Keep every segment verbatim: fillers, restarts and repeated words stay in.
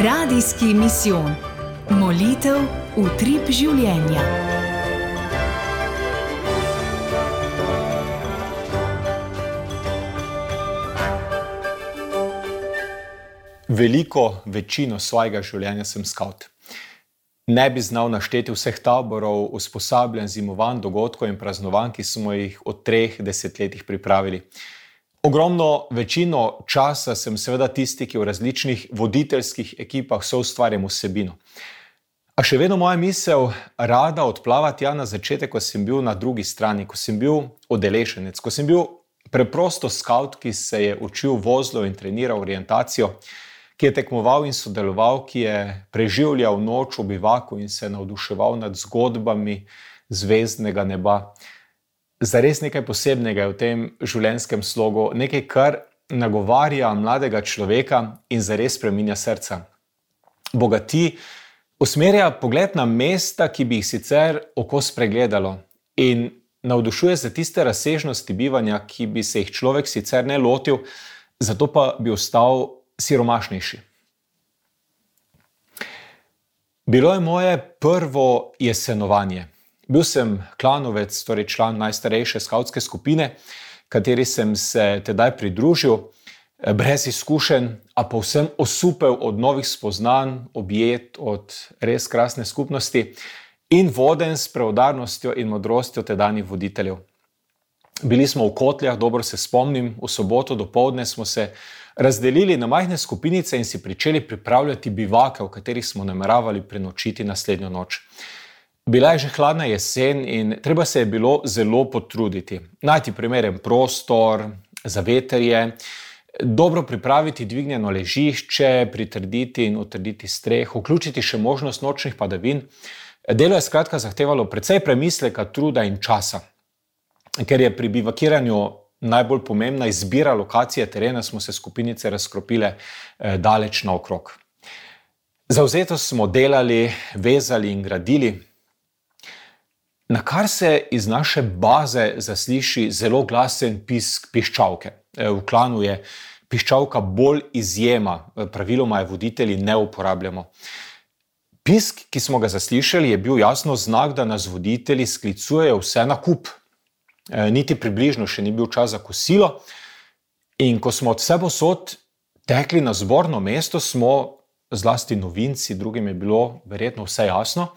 Radijski misijon. Molitev utrip življenja. Veliko večino svojega življenja sem skavt. Ne bi znal našteti vseh taborov, usposabljanj, zimovanj, dogodkov in praznovanj, ki smo jih od treh desetletjih pripravili. Ogromno večino časa sem seveda tisti, ki v različnih voditeljskih ekipah soustvarjam vsebino. A še vedno moja misel rada odplava tja na začetek, ko sem bil na drugi strani, ko sem bil udeleženec, ko sem bil preprosto skavt, ki se je učil vozlo in treniral orientacijo, ki je tekmoval in sodeloval, ki je preživljal noč v bivaku in se navduševal nad zgodbami zvezdnega neba. Zares nekaj posebnega je v tem življenjskem slogu, nekaj, kar nagovarja mladega človeka in zares spreminja srca. Bogati, usmerja pogled na mesta, ki bi jih sicer oko spregledalo, in navdušuje za tiste razsežnosti bivanja, ki bi se jih človek sicer ne lotil, zato pa bi ostal siromašnejši. Bilo je moje prvo jesenovanje. Bil sem klanovec, torej član najstarejše skavtske skupine, kateri sem se tedaj pridružil, brez izkušenj, a povsem osupel od novih spoznanj, objet od res krasne skupnosti in voden s preudarnostjo in modrostjo tedanjih voditeljev. Bili smo v Kotljah, dobro se spomnim, v soboto dopoldne smo se razdelili na majhne skupinice in si pričeli pripravljati bivake, v katerih smo nameravali prenočiti naslednjo noč. Bila je že hladna jesen in treba se je bilo zelo potruditi. Najti primeren prostor, zavetrje, dobro pripraviti dvignjeno ležišče, pritrditi in utrditi streho, vključiti še možnost nočnih padavin. Delo je skratka zahtevalo precej premisleka, truda in časa. Ker je pri bivakiranju najbolj pomembna izbira lokacije terena, smo se skupinice razkropile daleč naokrog. Zavzeto smo delali, vezali in gradili, na kar se iz naše baze zasliši zelo glasen pisk piščalke. V klanu je piščalka bolj izjema, praviloma je voditelji ne uporabljamo. Pisk, ki smo ga zaslišali, je bil jasno znak, da nas voditelji sklicujejo vse na kup. Niti približno še ni bil čas za kosilo in ko smo od vsepovsod tekli na zborno mesto, smo zlasti novinci, drugim je bilo verjetno vse jasno.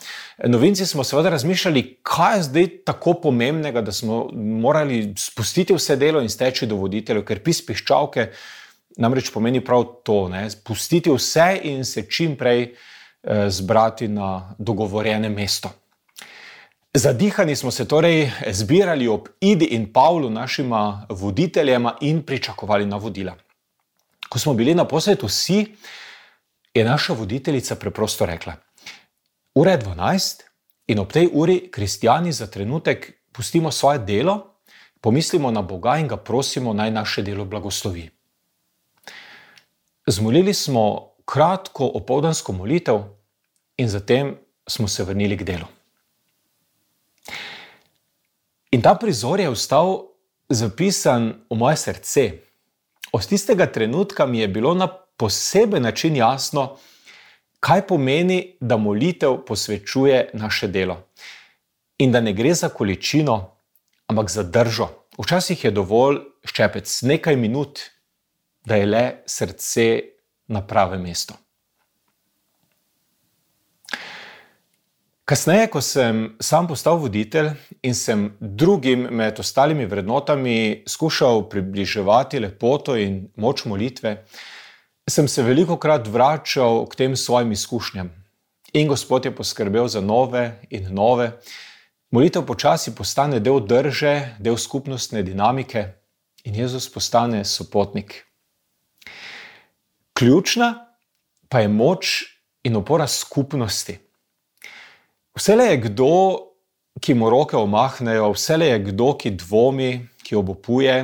Novinci smo seveda razmišljali, kaj je zdaj tako pomembnega, da smo morali spustiti vse delo in steči do voditeljev, ker pisk piščalke namreč pomeni prav to, ne? Pustiti vse in se čim prej zbrati na dogovorjene mesto. Zadihani smo se torej zbirali ob Idi in Pavlu, našima voditeljema, in pričakovali navodila. Ko smo bili naposled vsi, je naša voditeljica preprosto rekla: ura je dvanajst in ob tej uri kristjani za trenutek pustimo svoje delo, pomislimo na Boga in ga prosimo, naj naše delo blagoslovi. Zmolili smo kratko opoldansko molitev in zatem smo se vrnili k delu. In ta prizor je ostal zapisan v moje srce. Od tistega trenutka mi je bilo na poseben način jasno, kaj pomeni, da molitev posvečuje naše delo. In da ne gre za količino, ampak za držo. Včasih je dovolj ščepec, nekaj minut, da je le srce na pravem mestu. Kasneje, ko sem sam postal voditelj in sem drugim med ostalimi vrednotami skušal približevati lepoto in moč molitve, sem se velikokrat vračal k tem svojim izkušnjam. In Gospod je poskrbel za nove in nove. Molitev počasi postane del drže, del skupnostne dinamike in Jezus postane sopotnik. Ključna pa je moč in opora skupnosti. Vselej je kdo, ki mu roke omahnejo, vselej je kdo, ki dvomi, ki obupuje,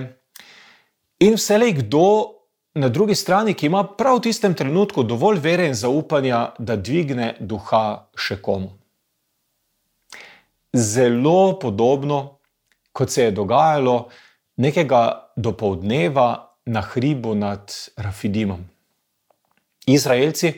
in vselej kdo na drugi strani, ki ima prav v tistem trenutku dovolj vere in zaupanja, da dvigne duha še komu. Zelo podobno, kot se je dogajalo nekega dopoldneva na hribu nad Rafidimom. Izraelci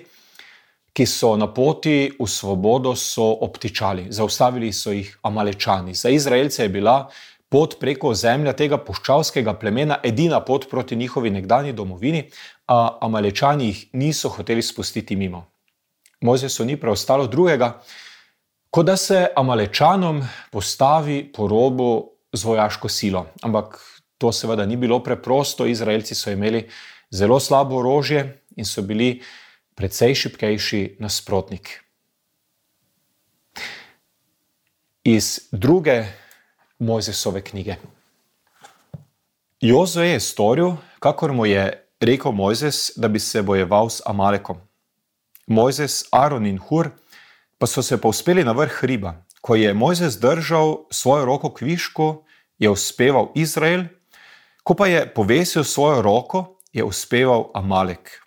ki so na poti v svobodo, so obtičali. Zaustavili so jih Amalečani. Za Izraelce je bila pot preko ozemlja tega puščavskega plemena edina pot proti njihovi nekdanji domovini, a Amalečani jih niso hoteli spustiti mimo. Mojzesu ni preostalo drugega, kot da se Amalečanom postavi po robu z vojaško silo. Ampak to seveda ni bilo preprosto. Izraelci so imeli zelo slabo orožje in so bili precej šibkejši nasprotnik. Iz druge Mojzesove knjige. Jozue je storil, kakor mu je rekel Mojzes, da bi se bojeval s Amalekom. Mojzes, Aron in Hur pa so se povzpeli na vrh hriba. Ko je Mojzes držal svojo roko k višku, je uspeval Izrael, ko pa je povesil svojo roko, je uspeval Amalek.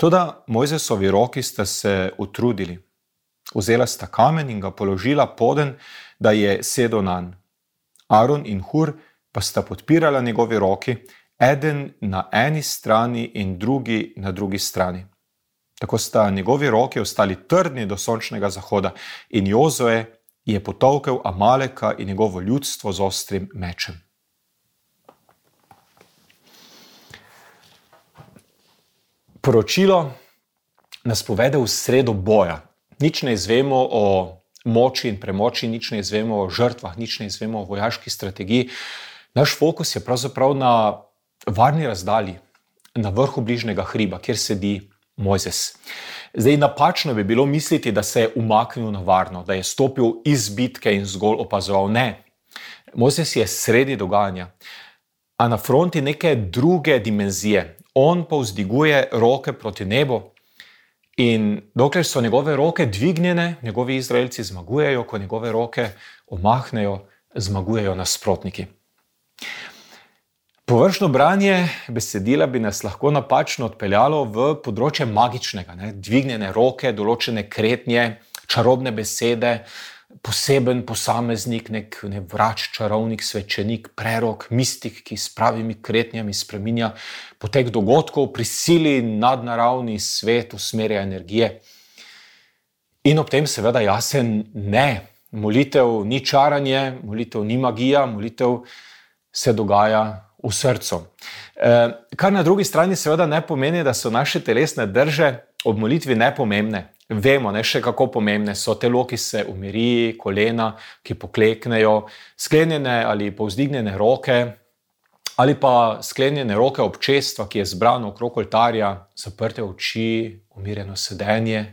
Toda Mojzesovi roki sta se utrudili. Vzela sta kamen in ga položila poden, da je sedel nanj. Aron in Hur pa sta podpirala njegovi roki, eden na eni strani in drugi na drugi strani. Tako sta njegovi roki ostali trdni do sončnega zahoda in Jozue je potolkel Amaleka in njegovo ljudstvo z ostrim mečem. Poročilo nas povede v sredo boja. Nič ne izvemo o moči in premoči, nič ne izvemo o žrtvah, nič ne izvemo o vojaški strategiji. Naš fokus je pravzaprav na varni razdalji, na vrhu bližnjega hriba, kjer sedi Mojzes. Zdaj, napačno bi bilo misliti, da se je umaknil na varno, da je stopil iz bitke in zgolj opazoval. Ne. Mojzes je sredi dogajanja, a na fronti neke druge dimenzije. On pa vzdiguje roke proti nebu in dokler so njegove roke dvignjene, njegovi Izraelci zmagujejo, ko njegove roke omahnejo, zmagujejo nasprotniki. Površno branje besedila bi nas lahko napačno odpeljalo v področje magičnega, ne? Dvignjene roke, določene kretnje, čarobne besede, poseben posameznik, nek, nek vrač, čarovnik, svečenik, prerok, mistik, ki s pravimi kretnjami spreminja potek dogodkov, prisili nadnaravni svet, usmerja energije. In ob tem seveda jasen ne. Molitev ni čaranje, molitev ni magija, molitev se dogaja v srcu. Kar na drugi strani seveda ne pomeni, da so naše telesne drže ob molitvi nepomembne. Vemo, ne, še kako pomembne so telo, ki se umiri, kolena, ki pokleknejo, sklenjene ali povzdignjene roke, ali pa sklenjene roke občestva, ki je zbrano okrog oltarja, zaprte oči, umirjeno sedenje.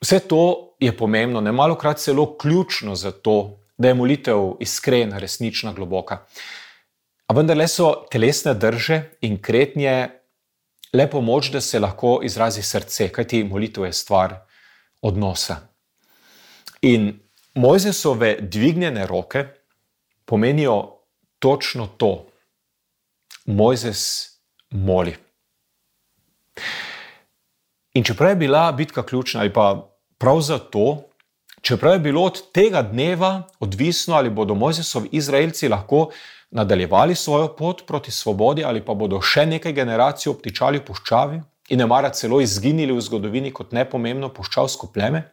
Vse to je pomembno, nemalokrat celo ključno za to, da je molitev iskrena, resnična, globoka. A vendarle so telesne drže in kretnje le pomoč, da se lahko izrazi srce, kajti molitev je stvar odnosa. In Mojzesove dvignjene roke pomenijo točno to. Mojzes moli. In čeprav je bila bitka ključna, ali pa prav zato, čeprav je bilo od tega dneva odvisno, ali bodo Mojzesovi Izraelci lahko nadaljevali svojo pot proti svobodi ali pa bodo še nekaj generacij obtičali v puščavi in nemara celo izginili v zgodovini kot nepomembno puščavsko pleme.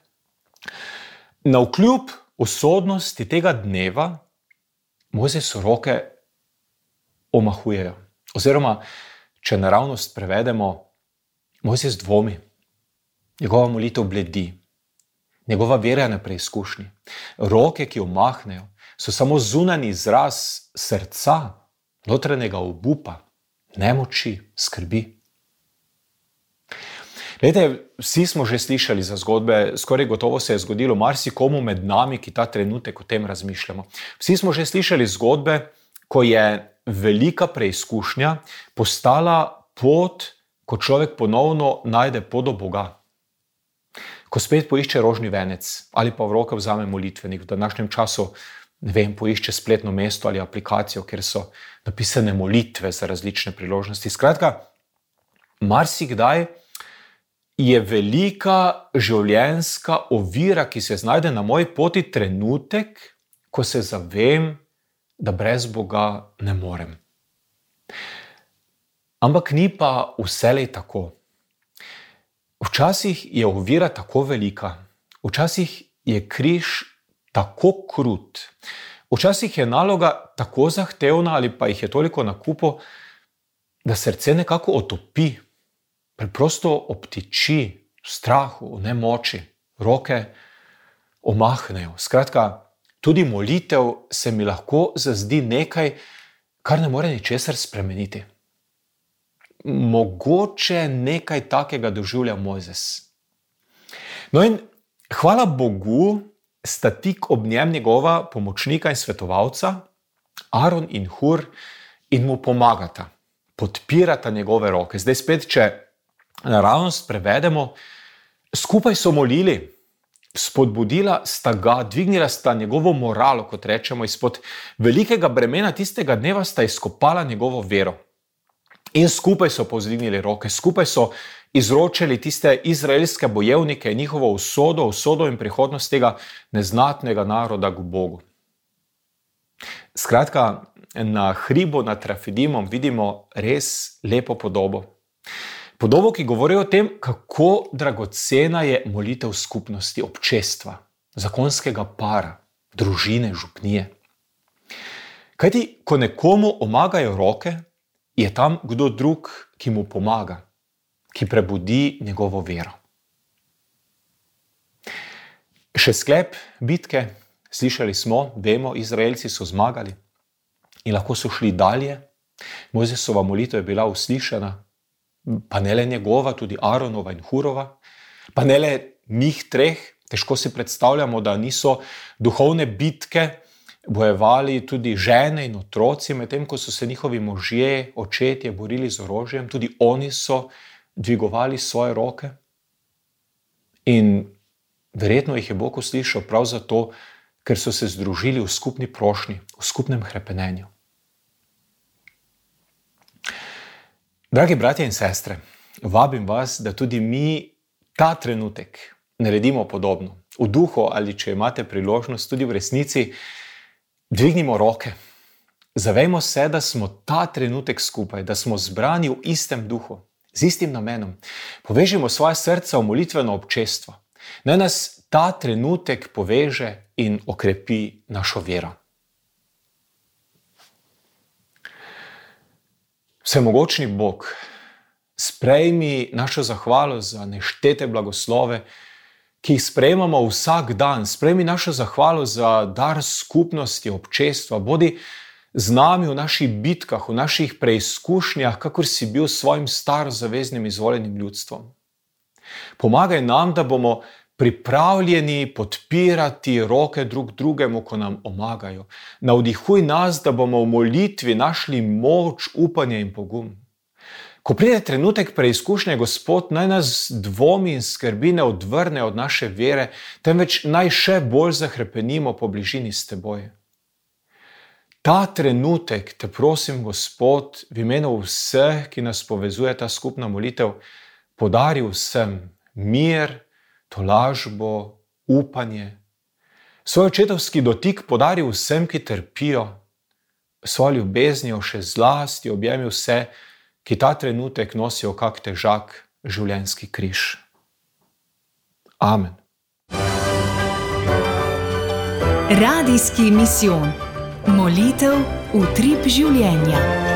Navkljub usodnosti tega dneva Mojzesu roke omahujejo. Oziroma, če naravnost prevedemo, Mojzes dvomi. Njegova molitev bledi. Njegova vera je na preizkušnji. Roke, ki omahnejo, so samo zunanji izraz srca, notranjega obupa, nemoči, skrbi. Glejte, vsi smo že slišali za zgodbe, skoraj gotovo se je zgodilo marsikomu med nami, ki ta trenutek o tem razmišljamo. Vsi smo že slišali zgodbe, ko je velika preizkušnja postala pot, ko človek ponovno najde pot do Boga. Ko spet poišče rožni venec ali pa v roke vzame molitvenik, v današnjem času ne vem, poišče spletno mesto ali aplikacijo, kjer so napisane molitve za različne priložnosti. Skratka, marsikdaj je velika življenjska ovira, ki se znajde na moji poti, trenutek, ko se zavem, da brez Boga ne morem. Ampak ni pa vselej tako. Včasih je ovira tako velika, včasih je križ tako krut, včasih je naloga tako zahtevna ali pa jih je toliko na kupu, da srce nekako otopi, preprosto obtiči v strahu, v nemoči, roke omahnejo. Skratka, tudi molitev se mi lahko zazdi nekaj, kar ne more ničesar spremeniti. Mogoče nekaj takega doživlja Mojzes. No in hvala Bogu, sta tik ob njem njegova pomočnika in svetovalca, Aron in Hur, in mu pomagata, podpirata njegove roke. Zdaj spet, če naravnost prevedemo, skupaj so molili, spodbudila sta ga, dvignila sta njegovo moralo, kot rečemo, izpod velikega bremena tistega dneva sta izkopala njegovo vero. In skupaj so povzdignili roke, skupaj so izročili tiste izraelske bojevnike, njihovo usodo, usodo in prihodnost tega neznatnega naroda k Bogu. Skratka, na hribu nad Rafidimom vidimo res lepo podobo. Podobo, ki govori o tem, kako dragocena je molitev skupnosti, občestva, zakonskega para, družine, župnije. Kajti, ko nekomu omagajo roke, je tam kdo drug, ki mu pomaga, ki prebudi njegovo vero. Še sklep bitke, slišali smo, vemo, Izraelci so zmagali in lahko so šli dalje. Mojzesova molitev je bila uslišana, pa ne le njegova, tudi Aronova in Hurova, pa ne le njih treh. Težko si predstavljamo, da niso duhovne bitke bojevali tudi žene in otroci, medtem ko so se njihovi možje, očetje borili z orožjem, tudi oni so dvigovali svoje roke. In verjetno jih je Bog uslišal prav zato, ker so se združili v skupni prošnji, v skupnem hrepenenju. Dragi bratje in sestre, vabim vas, da tudi mi ta trenutek naredimo podobno. V duhu ali, če imate priložnost, tudi v resnici, dvignimo roke. Zavejmo se, da smo ta trenutek skupaj, da smo zbrani v istem duhu, z istim namenom. Povežimo svoje srca v molitveno občestvo. Naj nas ta trenutek poveže in okrepi našo vero. Vsemogočni Bog, sprejmi našo zahvalo za neštete blagoslove, ki jih sprejemamo vsak dan. Sprejmi našo zahvalo za dar skupnosti, občestva. Bodi z nami v naših bitkah, v naših preizkušnjah, kakor si bil s svojim starozaveznim izvoljenim ljudstvom. Pomagaj nam, da bomo pripravljeni podpirati roke drug drugemu, ko nam omagajo. Navdihuj nas, da bomo v molitvi našli moč, upanje in pogum. Ko pride trenutek preizkušnje, Gospod, naj nas dvomi in skrbi ne odvrne od naše vere, temveč naj še bolj zahrepenimo po bližini s teboj. Ta trenutek, te prosim, Gospod, v imenu vseh, ki nas povezuje ta skupna molitev, podari vsem mir, tolažbo, upanje. Svoj očetovski dotik podari vsem, ki trpijo, svojo ljubeznijo še zlasti objemi vse, ki ta trenutek nosijo kak težak življenjski križ. Amen. Radijski misijon. Molitev utrip življenja.